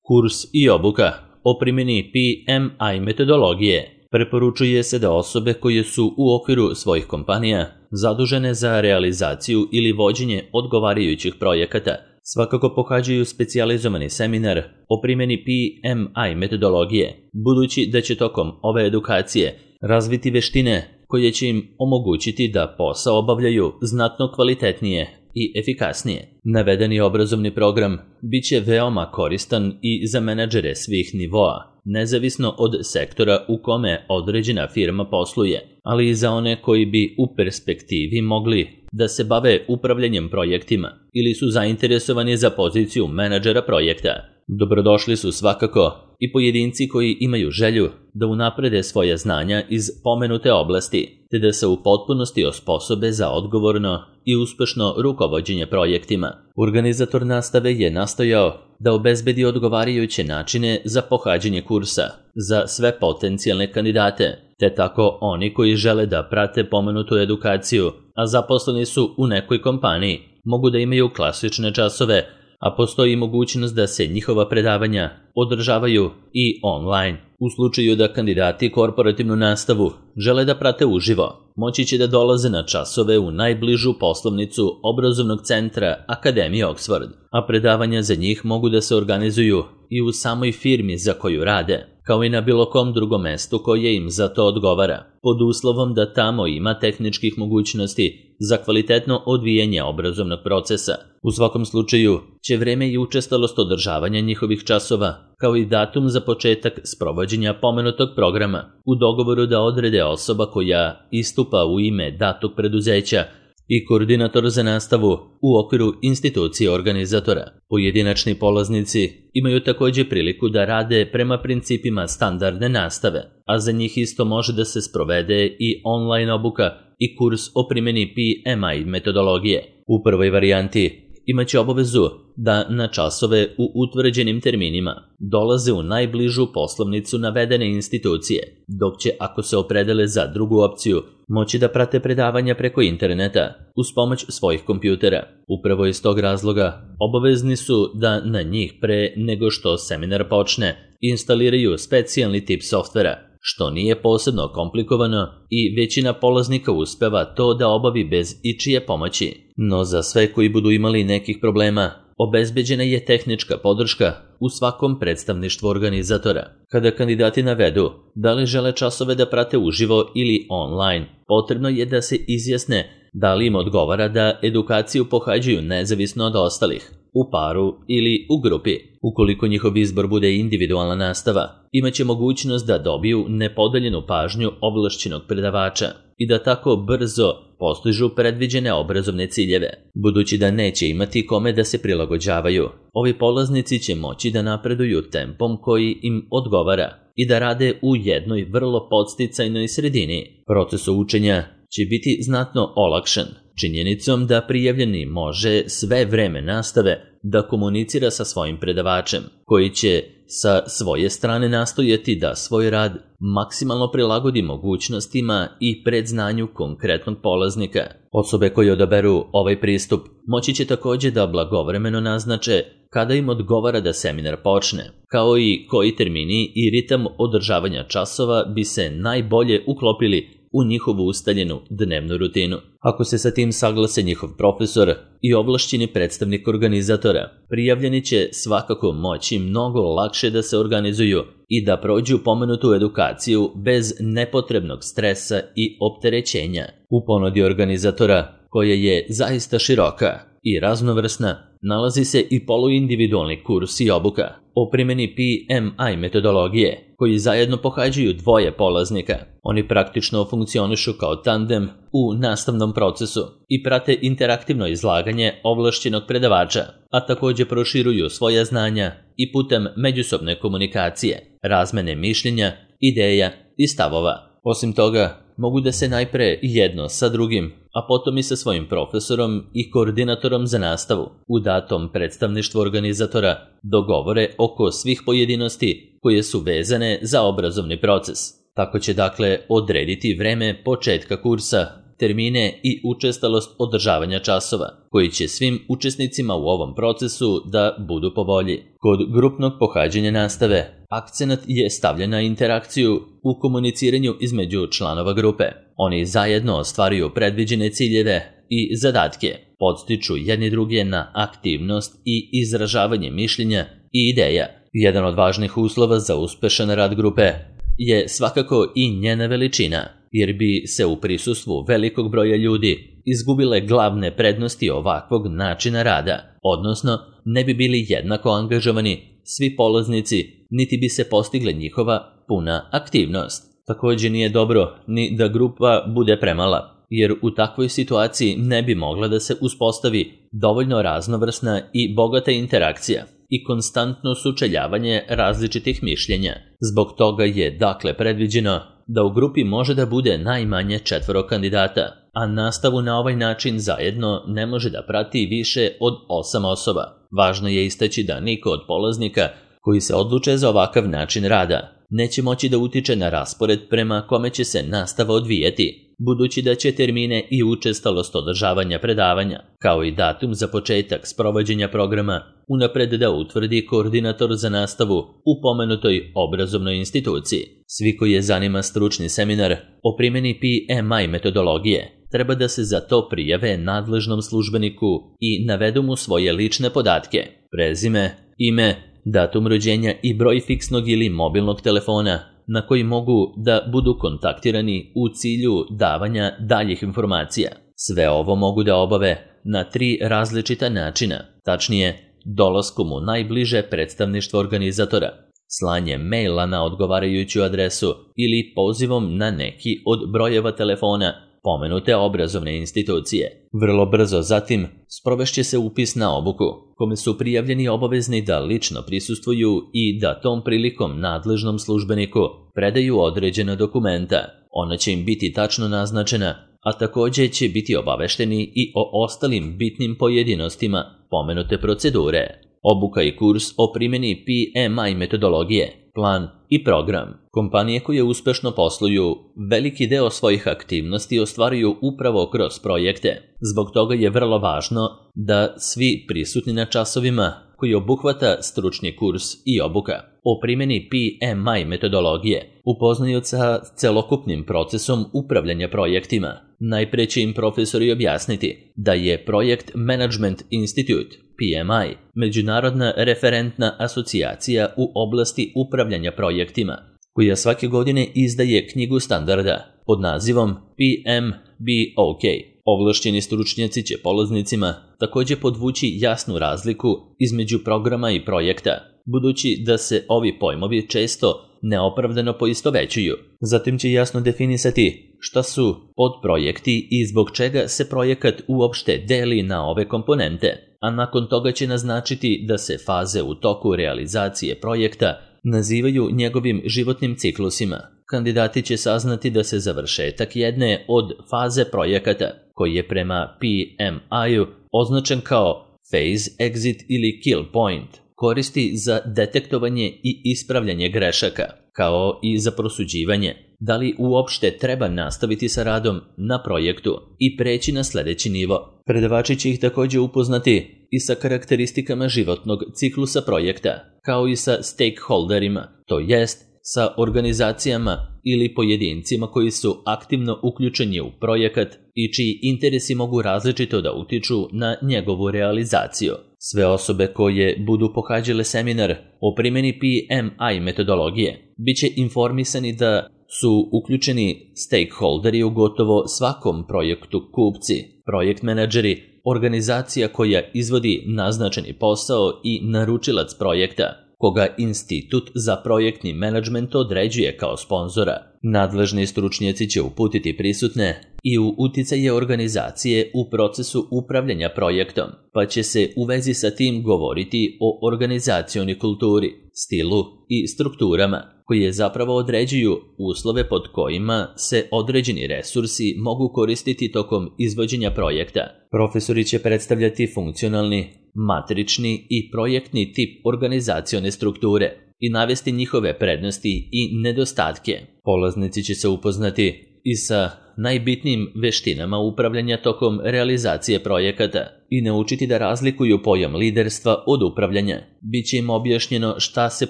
Kurs i obuka o primjeni PMI metodologije preporučuje se da osobe koje su u okviru svojih kompanija zadužene za realizaciju ili vođenje odgovarajućih projekata svakako pohađaju specijalizovani seminar o primjeni PMI metodologije, budući da će tokom ove edukacije razviti veštine koje će im omogućiti da posao obavljaju znatno kvalitetnije i efikasnije. Navedeni obrazovni program bit će veoma koristan i za menadžere svih nivoa, nezavisno od sektora u kome određena firma posluje, ali i za one koji bi u perspektivi mogli da se bave upravljanjem projektima ili su zainteresovani za poziciju menadžera projekta. Dobrodošli su svakako i pojedinci koji imaju želju da unaprede svoja znanja iz pomenute oblasti, te da se u potpunosti osposobe za odgovorno i uspešno rukovođenje projektima. Organizator nastave je nastojao da obezbedi odgovarajuće načine za pohađanje kursa za sve potencijalne kandidate, te tako oni koji žele da prate pomenutu edukaciju, a zaposleni su u nekoj kompaniji, mogu da imaju klasične časove, a postoji mogućnost da se njihova predavanja održavaju i online. U slučaju da kandidati korporativnu nastavu žele da prate uživo, moći će da dolaze na časove u najbližu poslovnicu obrazovnog centra Akademije Oxford, a predavanja za njih mogu da se organizuju i u samoj firmi za koju rade, kao i na bilo kom drugom mestu koje im za to odgovara, pod uslovom da tamo ima tehničkih mogućnosti za kvalitetno odvijanje obrazovnog procesa. U svakom slučaju će vreme i učestalost održavanja njihovih časova, kao i datum za početak sprovođenja pomenutog programa, u dogovoru da odrede osoba koja istupa u ime datog preduzeća i koordinator za nastavu u okviru institucije organizatora. Pojedinačni polaznici imaju također priliku da rade prema principima standardne nastave, a za njih isto može da se sprovede i online obuka i kurs o primjeni PMI metodologije. U prvoj varijanti imaće obavezu da na časove u utvrđenim terminima dolaze u najbližu poslovnicu navedene institucije, dok će, ako se opredele za drugu opciju, moći da prate predavanja preko interneta uz pomoć svojih kompjutera. Upravo iz tog razloga obavezni su da na njih pre nego što seminar počne instaliraju specijalni tip softvera, što nije posebno komplikovano i većina polaznika uspeva to da obavi bez ičije pomoći. No za sve koji budu imali nekih problema, obezbeđena je tehnička podrška u svakom predstavništvu organizatora. Kada kandidati navedu da li žele časove da prate uživo ili online, potrebno je da se izjasne da li im odgovara da edukaciju pohađaju nezavisno od ostalih, u paru ili u grupi. Ukoliko njihov izbor bude individualna nastava, imaće mogućnost da dobiju nepodeljenu pažnju ovlašćenog predavača i da tako brzo postižu predviđene obrazovne ciljeve. Budući da neće imati kome da se prilagođavaju, ovi polaznici će moći da napreduju tempom koji im odgovara i da rade u jednoj vrlo podsticajnoj sredini. Proces učenja će biti znatno olakšan činjenicom da prijavljeni može sve vreme nastave da komunicira sa svojim predavačem, koji će sa svoje strane nastojati da svoj rad maksimalno prilagodi mogućnostima i predznanju konkretnog polaznika. Osobe koje odaberu ovaj pristup moći će također da blagovremeno naznače kada im odgovara da seminar počne, kao i koji termini i ritam održavanja časova bi se najbolje uklopili u njihovu ustaljenu dnevnu rutinu. Ako se sa tim saglase njihov profesor i ovlašćeni predstavnik organizatora, prijavljeni će svakako moći mnogo lakše da se organizuju i da prođu pomenutu edukaciju bez nepotrebnog stresa i opterećenja. U ponudi organizatora, koja je zaista široka i raznovrsna, nalazi se i poluindividualni kurs i obuka o primjeni PMI metodologije, koji zajedno pohađaju dvoje polaznika. Oni praktično funkcionišu kao tandem u nastavnom procesu i prate interaktivno izlaganje ovlašćenog predavača, a također proširuju svoja znanja i putem međusobne komunikacije, razmene mišljenja, ideja i stavova. Osim toga, mogu da se najpre jedno sa drugim, a potom i sa svojim profesorom i koordinatorom za nastavu u datom predstavništvu organizatora dogovore oko svih pojedinosti koje su vezane za obrazovni proces. Tako će dakle odrediti vreme početka kursa termine i učestalost održavanja časova, koji će svim učesnicima u ovom procesu da budu po volji. Kod grupnog pohađanja nastave, akcenat je stavljen na interakciju u komuniciranju između članova grupe. Oni zajedno ostvaruju predviđene ciljeve i zadatke, podstiču jedni druge na aktivnost i izražavanje mišljenja i ideja. Jedan od važnih uslova za uspešan rad grupe je svakako i njena veličina, jer bi se u prisustvu velikog broja ljudi izgubile glavne prednosti ovakvog načina rada, odnosno ne bi bili jednako angažovani svi polaznici, niti bi se postigle njihova puna aktivnost. Također nije dobro ni da grupa bude premala, jer u takvoj situaciji ne bi mogla da se uspostavi dovoljno raznovrsna i bogata interakcija i konstantno sučeljavanje različitih mišljenja. Zbog toga je dakle predviđeno da u grupi može da bude najmanje 4 kandidata, a nastavu na ovaj način zajedno ne može da prati više od 8 osoba. Važno je istaći da niko od polaznika koji se odluče za ovakav način rada neće moći da utiče na raspored prema kome će se nastava odvijeti, budući da će termine i učestalost održavanja predavanja, kao i datum za početak sprovođenja programa, unapred da utvrdi koordinator za nastavu u pomenutoj obrazovnoj instituciji. Svi koji je zanima stručni seminar o primjeni PMI metodologije treba da se za to prijave nadležnom službeniku i navedu mu svoje lične podatke, prezime, ime, datum rođenja i broj fiksnog ili mobilnog telefona na koji mogu da budu kontaktirani u cilju davanja daljih informacija. Sve ovo mogu da obave na 3 različita načina, tačnije dolaskom u najbliže predstavništvo organizatora, slanjem maila na odgovarajuću adresu ili pozivom na neki od brojeva telefona pomenute obrazovne institucije. Vrlo brzo zatim sprovešće se upis na obuku, kome su prijavljeni obavezni da lično prisustvuju i da tom prilikom nadležnom službeniku predaju određena dokumenta. Ona će im biti tačno naznačena, a također će biti obavešteni i o ostalim bitnim pojedinostima pomenute procedure. Obuka i kurs o primjeni PMI metodologije, plan i program. Kompanije koje uspešno posluju veliki deo svojih aktivnosti ostvaruju upravo kroz projekte. Zbog toga je vrlo važno da svi prisutni na časovima koji obuhvata stručni kurs i obuka o primjeni PMI metodologije upoznaju sa celokupnim procesom upravljanja projektima. Najpre će im profesori objasniti da je Projekt Management Institute, PMI, međunarodna referentna asocijacija u oblasti upravljanja projektima, koja svake godine izdaje knjigu standarda pod nazivom PMBOK. Ovlašćeni stručnjaci će polaznicima također podvući jasnu razliku između programa i projekta, budući da se ovi pojmovi često neopravdano poistovećuju. Zatim će jasno definisati šta su podprojekti i zbog čega se projekat uopšte deli na ove komponente, a nakon toga će naznačiti da se faze u toku realizacije projekta nazivaju njegovim životnim ciklusima. Kandidati će saznati da se završetak jedne od faze projekata, koji je prema PMI-u označen kao Phase, Exit ili Kill Point, koristi za detektovanje i ispravljanje grešaka, kao i za prosuđivanje da li uopšte treba nastaviti sa radom na projektu i preći na sljedeći nivo. Predavači će ih također upoznati i sa karakteristikama životnog ciklusa projekta, kao i sa stakeholderima, to jest sa organizacijama ili pojedincima koji su aktivno uključeni u projekat i čiji interesi mogu različito da utiču na njegovu realizaciju. Sve osobe koje budu pohađale seminar o primjeni PMI metodologije biće informisani da su uključeni stakeholderi u gotovo svakom projektu, kupci, projekt menadžeri, organizacija koja izvodi naznačeni posao i naručilac projekta, koga Institut za projektni menadžment određuje kao sponzora. Nadležni stručnjaci će uputiti prisutne i u uticaje organizacije u procesu upravljanja projektom, pa će se u vezi sa tim govoriti o organizacionoj kulturi, stilu i strukturama, koje zapravo određuju uslove pod kojima se određeni resursi mogu koristiti tokom izvođenja projekta. Profesori će predstavljati funkcionalni, matrični i projektni tip organizacione strukture i navesti njihove prednosti i nedostatke. Polaznici će se upoznati i sa najbitnijim veštinama upravljanja tokom realizacije projekata i naučiti da razlikuju pojam liderstva od upravljanja. Biće im objašnjeno šta se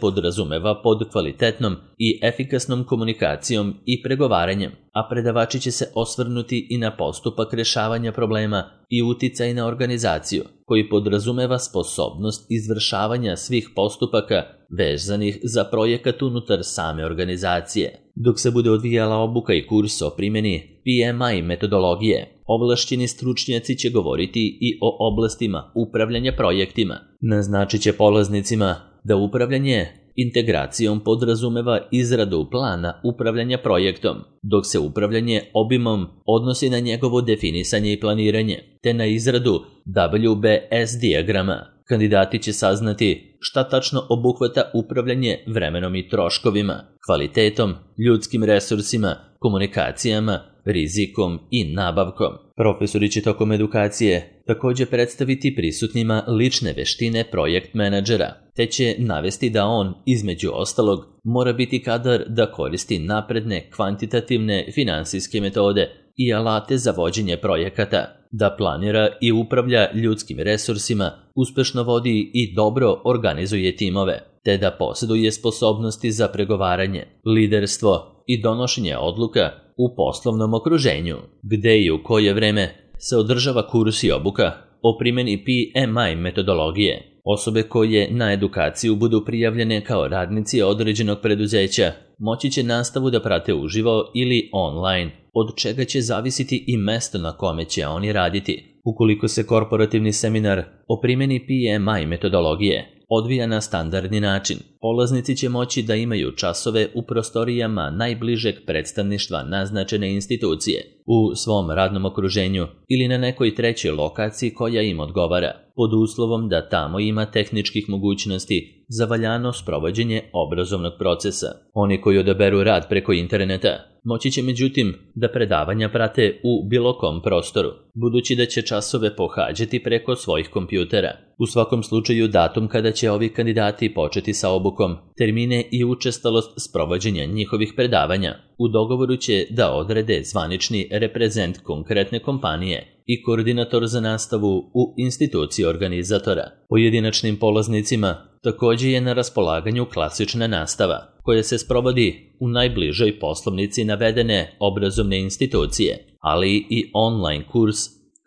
podrazumeva pod kvalitetnom i efikasnom komunikacijom i pregovaranjem, a predavači će se osvrnuti i na postupak rešavanja problema i uticaj na organizaciju, koji podrazumeva sposobnost izvršavanja svih postupaka vezanih za projekat unutar same organizacije. Dok se bude odvijala obuka i kurs o primjeni PMI metodologije, ovlašćeni stručnjaci će govoriti i o oblastima upravljanja projektima. Naznačit će polaznicima da upravljanje integracijom podrazumeva izradu plana upravljanja projektom, dok se upravljanje obimom odnosi na njegovo definisanje i planiranje, te na izradu WBS dijagrama. Kandidati će saznati šta tačno obuhvata upravljanje vremenom i troškovima, kvalitetom, ljudskim resursima, komunikacijama, rizikom i nabavkom. Profesori će tokom edukacije također predstaviti prisutnima lične veštine projekt menadžera, te će navesti da on, između ostalog, mora biti kadar da koristi napredne kvantitativne finansijske metode i alate za vođenje projekata, da planira i upravlja ljudskim resursima, uspešno vodi i dobro organizuje timove, te da posjeduje sposobnosti za pregovaranje, liderstvo i donošenje odluka u poslovnom okruženju, gde i u koje vreme se održava kurs i obuka o primjeni PMI metodologije. Osobe koje na edukaciju budu prijavljene kao radnici određenog preduzeća moći će nastavu da prate uživo ili online, od čega će zavisiti i mesto na kome će oni raditi. Ukoliko se korporativni seminar o primjeni PMI metodologije odvija na standardni način, polaznici će moći da imaju časove u prostorijama najbližeg predstavništva naznačene institucije, u svom radnom okruženju ili na nekoj trećoj lokaciji koja im odgovara, pod uslovom da tamo ima tehničkih mogućnosti za valjano sprovođenje obrazovnog procesa. Oni koji odaberu rad preko interneta moći će međutim da predavanja prate u bilo kom prostoru, budući da će časove pohađati preko svojih kompjutera. U svakom slučaju datum kada će ovi kandidati početi sa obukom, termine i učestalost sprovođenja njihovih predavanja u dogovoru će da odrede zvanični reprezent konkretne kompanije i koordinator za nastavu u instituciji organizatora. Pojedinačnim polaznicima također je na raspolaganju klasična nastava, koja se sprovodi u najbližoj poslovnici navedene obrazovne institucije, ali i online kurs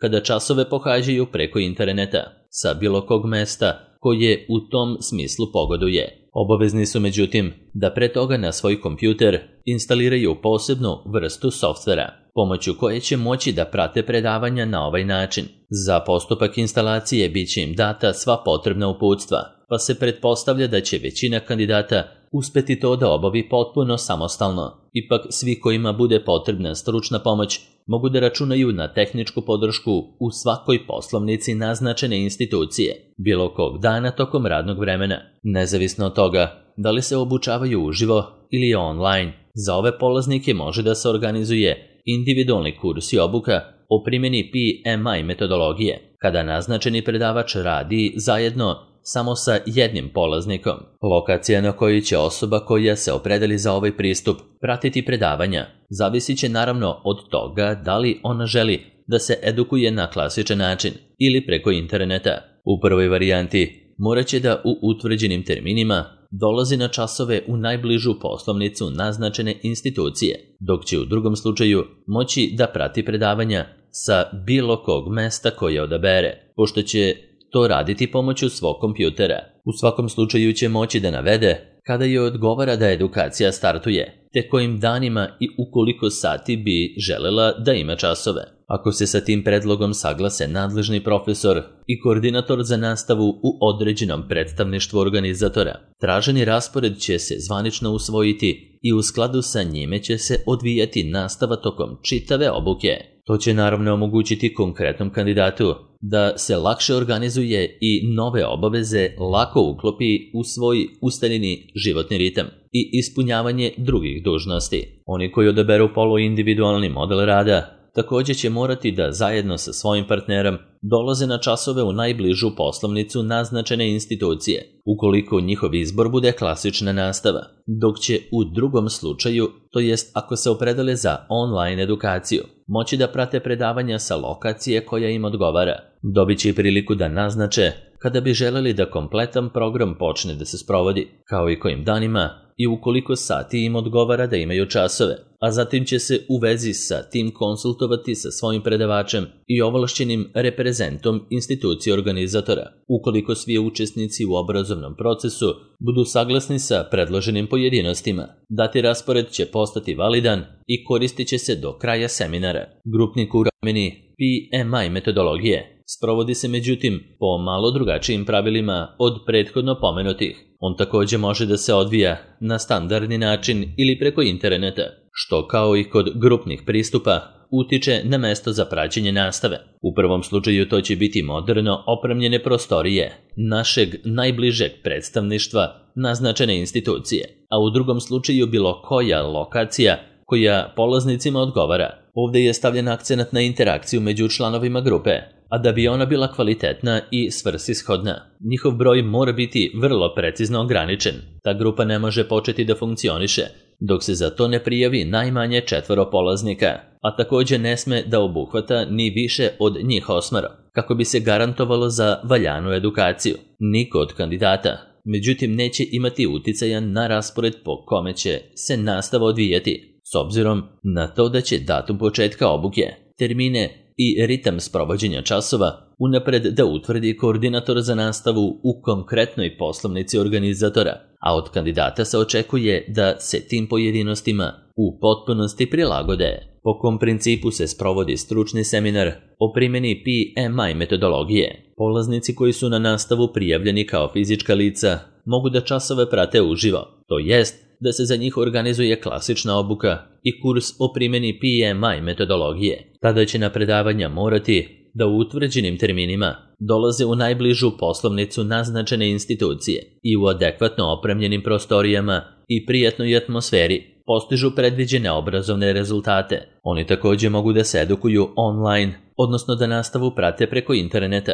kada časove pohađaju preko interneta sa bilo kog mesta koje u tom smislu pogoduje. Obavezni su međutim da pre toga na svoj kompjuter instaliraju posebnu vrstu softvera, pomoću koje će moći da prate predavanja na ovaj način. Za postupak instalacije bit će im data sva potrebna uputstva, pa se pretpostavlja da će većina kandidata uspeti to da obavi potpuno samostalno. Ipak svi kojima bude potrebna stručna pomoć mogu da računaju na tehničku podršku u svakoj poslovnici naznačene institucije, bilo kog dana tokom radnog vremena. Nezavisno od toga da li se obučavaju uživo ili online, za ove polaznike može da se organizuje individualni kurs i obuka o primjeni PMI metodologije, kada naznačeni predavač radi zajedno samo sa jednim polaznikom. Lokacija na kojoj će osoba koja se opredeli za ovaj pristup pratiti predavanja zavisit će naravno od toga da li ona želi da se edukuje na klasičan način ili preko interneta. U prvoj varijanti morat će da u utvrđenim terminima dolazi na časove u najbližu poslovnicu naznačene institucije, dok će u drugom slučaju moći da prati predavanja sa bilo kog mesta koje odabere, pošto će to raditi pomoću svog kompjutera. U svakom slučaju će moći da navede kada joj odgovara da edukacija startuje, te kojim danima i u koliko sati bi želela da ima časove. Ako se sa tim predlogom saglase nadležni profesor i koordinator za nastavu u određenom predstavništvu organizatora, traženi raspored će se zvanično usvojiti i u skladu sa njime će se odvijati nastava tokom čitave obuke. To će naravno omogućiti konkretnom kandidatu da se lakše organizuje i nove obaveze lako uklopi u svoj ustaljeni životni ritam i ispunjavanje drugih dužnosti. Oni koji odaberu poluindividualni model rada također će morati da zajedno sa svojim partnerom dolaze na časove u najbližu poslovnicu naznačene institucije, ukoliko njihov izbor bude klasična nastava, dok će u drugom slučaju, to jest ako se opredele za online edukaciju, moći da prate predavanja sa lokacije koja im odgovara. Dobit će i priliku da naznače kada bi želeli da kompletan program počne da se sprovodi, kao i kojim danima i u koliko sati im odgovara da imaju časove, a zatim će se u vezi sa tim konsultovati sa svojim predavačem i ovlašćenim reprezentom institucije organizatora. Ukoliko svi učesnici u obrazovnom procesu budu saglasni sa predloženim pojedinostima, dati raspored će postati validan i koristit će se do kraja seminara. Grupni kurs u primjeni PMI metodologije sprovodi se međutim po malo drugačijim pravilima od prethodno pomenutih. On također može da se odvija na standardni način ili preko interneta, što kao i kod grupnih pristupa utiče na mesto za praćenje nastave. U prvom slučaju to će biti moderno opremljene prostorije našeg najbližeg predstavništva naznačene institucije, a u drugom slučaju bilo koja lokacija koja polaznicima odgovara. Ovdje je stavljen akcenat na interakciju među članovima grupe, a da bi ona bila kvalitetna i svrsishodna, njihov broj mora biti vrlo precizno ograničen. Ta grupa ne može početi da funkcioniše dok se za to ne prijavi najmanje 4 polaznika, a također ne sme da obuhvata ni više od njih 8, kako bi se garantovalo za valjanu edukaciju. Niko od kandidata, međutim, neće imati uticaja na raspored po kome će se nastava odvijati, s obzirom na to da će datum početka obuke, termine i ritam sprovođenja časova unapred da utvrdi koordinator za nastavu u konkretnoj poslovnici organizatora, a od kandidata se očekuje da se tim pojedinostima u potpunosti prilagode. Po kom principu se sprovodi stručni seminar o primjeni PMI metodologije? Polaznici koji su na nastavu prijavljeni kao fizička lica mogu da časove prate uživo, to jest da se za njih organizuje klasična obuka i kurs o primjeni PMI metodologije. Tada će na predavanja morati da u utvrđenim terminima dolaze u najbližu poslovnicu naznačene institucije i u adekvatno opremljenim prostorijama i prijatnoj atmosferi postižu predviđene obrazovne rezultate. Oni također mogu da se edukuju online, odnosno da nastavu prate preko interneta,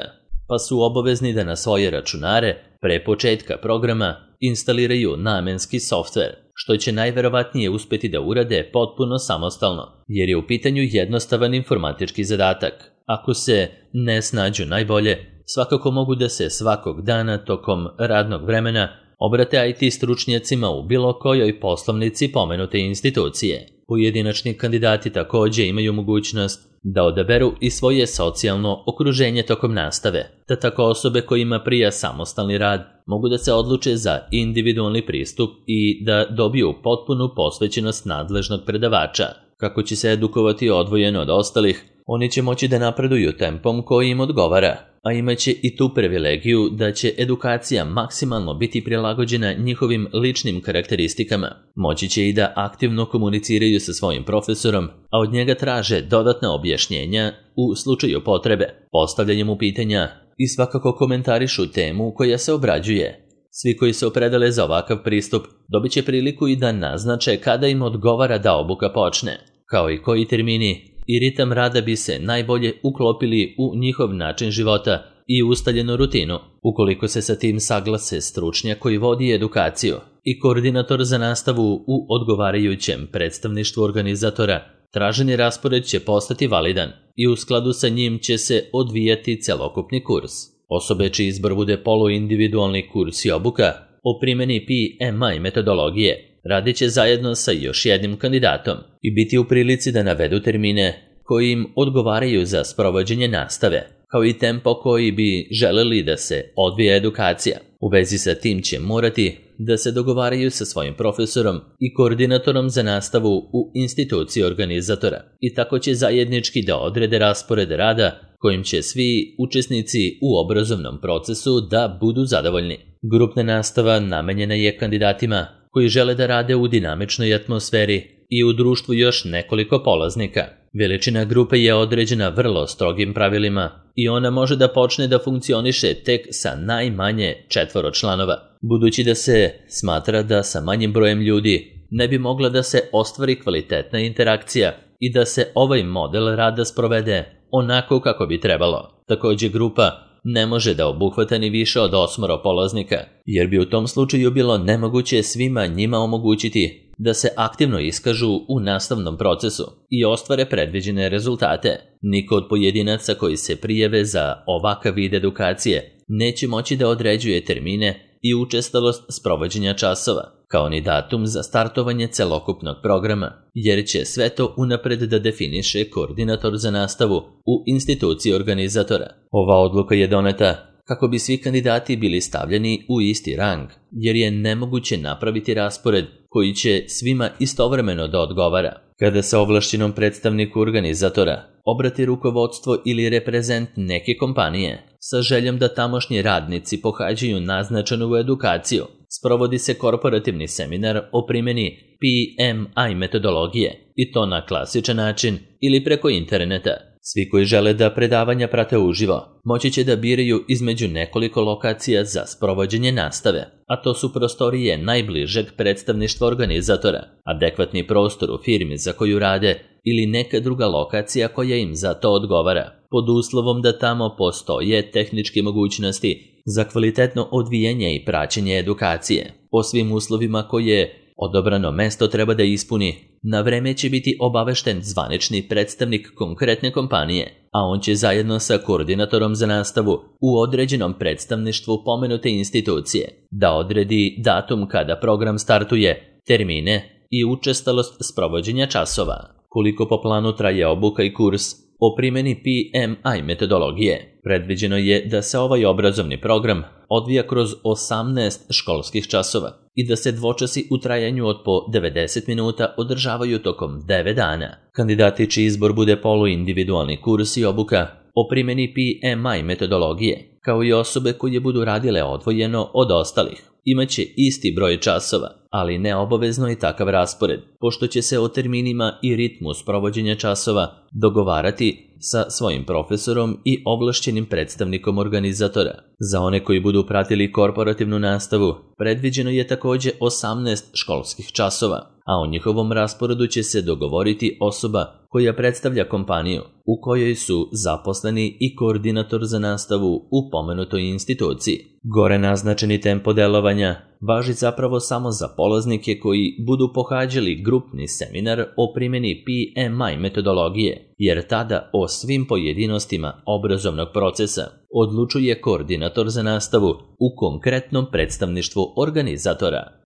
pa su obavezni da na svoje računare pre početka programa instaliraju namenski softver, što će najverovatnije uspjeti da urade potpuno samostalno, jer je u pitanju jednostavan informatički zadatak. Ako se ne snađu najbolje, svakako mogu da se svakog dana tokom radnog vremena obrate IT stručnjacima u bilo kojoj poslovnici pomenute institucije. Pojedinačni kandidati također imaju mogućnost da odaberu i svoje socijalno okruženje tokom nastave, te tako osobe kojima prija samostalni rad mogu da se odluče za individualni pristup i da dobiju potpunu posvećenost nadležnog predavača. Kako će se edukovati odvojeno od ostalih, oni će moći da napreduju tempom koji im odgovara, a imaće i tu privilegiju da će edukacija maksimalno biti prilagođena njihovim ličnim karakteristikama. Moći će i da aktivno komuniciraju sa svojim profesorom, a od njega traže dodatna objašnjenja u slučaju potrebe, postavljanjem mu pitanja i svakako komentarišu temu koja se obrađuje. Svi koji se opredele za ovakav pristup dobit će priliku i da naznače kada im odgovara da obuka počne, kao i koji termini i ritam rada bi se najbolje uklopili u njihov način života i ustaljenu rutinu. Ukoliko se sa tim saglase stručnjak koji vodi edukaciju i koordinator za nastavu u odgovarajućem predstavništvu organizatora, traženi raspored će postati validan i u skladu sa njim će se odvijati celokupni kurs. Osobe čiji izbor bude poluindividualni kurs i obuka o primjeni PMI metodologije radit će zajedno sa još jednim kandidatom i biti u prilici da navedu termine koji im odgovaraju za sprovođenje nastave, kao i tempo koji bi želeli da se odvija edukacija. U vezi sa tim će morati da se dogovaraju sa svojim profesorom i koordinatorom za nastavu u instituciji organizatora i tako će zajednički da odrede raspored rada kojim će svi učesnici u obrazovnom procesu da budu zadovoljni. Grupna nastava namenjena je kandidatima koji žele da rade u dinamičnoj atmosferi i u društvu još nekoliko polaznika. Veličina grupe je određena vrlo strogim pravilima i ona može da počne da funkcioniše tek sa najmanje 4 članova. Budući da se smatra da sa manjim brojem ljudi ne bi mogla da se ostvari kvalitetna interakcija, i da se ovaj model rada sprovede onako kako bi trebalo. Također grupa ne može da obuhvata ni više od 8 polaznika, jer bi u tom slučaju bilo nemoguće svima njima omogućiti da se aktivno iskažu u nastavnom procesu i ostvare predviđene rezultate. Niko od pojedinaca koji se prijave za ovakav vid edukacije neće moći da određuje termine i učestalost sprovođenja časova, kao ni datum za startovanje celokupnog programa, jer će sve to unapred da definiše koordinator za nastavu u instituciji organizatora. Ova odluka je doneta kako bi svi kandidati bili stavljeni u isti rang, jer je nemoguće napraviti raspored koji će svima istovremeno da odgovara. Kada se ovlašćenom predstavniku organizatora obrati rukovodstvo ili reprezent neke kompanije sa željom da tamošnji radnici pohađaju naznačenu edukaciju, sprovodi se korporativni seminar o primjeni PMI metodologije, i to na klasičan način ili preko interneta. Svi koji žele da predavanja prate uživo moći će da biraju između nekoliko lokacija za sprovođenje nastave, a to su prostorije najbližeg predstavništva organizatora, adekvatni prostor u firmi za koju rade ili neka druga lokacija koja im za to odgovara, pod uslovom da tamo postoje tehničke mogućnosti za kvalitetno odvijanje i praćenje edukacije. Po svim uslovima koje odabrano mesto treba da ispuni, na vreme će biti obavešten zvanični predstavnik konkretne kompanije, a on će zajedno sa koordinatorom za nastavu u određenom predstavništvu pomenute institucije da odredi datum kada program startuje, termine i učestalost sprovođenja časova. Koliko po planu traje obuka i kurs o primjeni PMI metodologije, predviđeno je da se ovaj obrazovni program odvija kroz 18 školskih časova i da se dvočasi u trajanju od po 90 minuta održavaju tokom 9 dana. Kandidati čiji izbor bude poluindividualni kurs i obuka o primjeni PMI metodologije, kao i osobe koje budu radile odvojeno od ostalih, imaće isti broj časova, ali ne obavezno i takav raspored, pošto će se o terminima i ritmu sprovođenja časova dogovarati sa svojim profesorom i ovlašćenim predstavnikom organizatora. Za one koji budu pratili korporativnu nastavu, predviđeno je također 18 školskih časova, a o njihovom rasporedu će se dogovoriti osoba koja predstavlja kompaniju u kojoj su zaposleni i koordinator za nastavu u pomenutoj instituciji. Gore naznačeni tempo delovanja važi zapravo samo za polaznike koji budu pohađali grupni seminar o primjeni PMI metodologije, jer tada o svim pojedinostima obrazovnog procesa odlučuje koordinator za nastavu u konkretnom predstavništvu organizatora.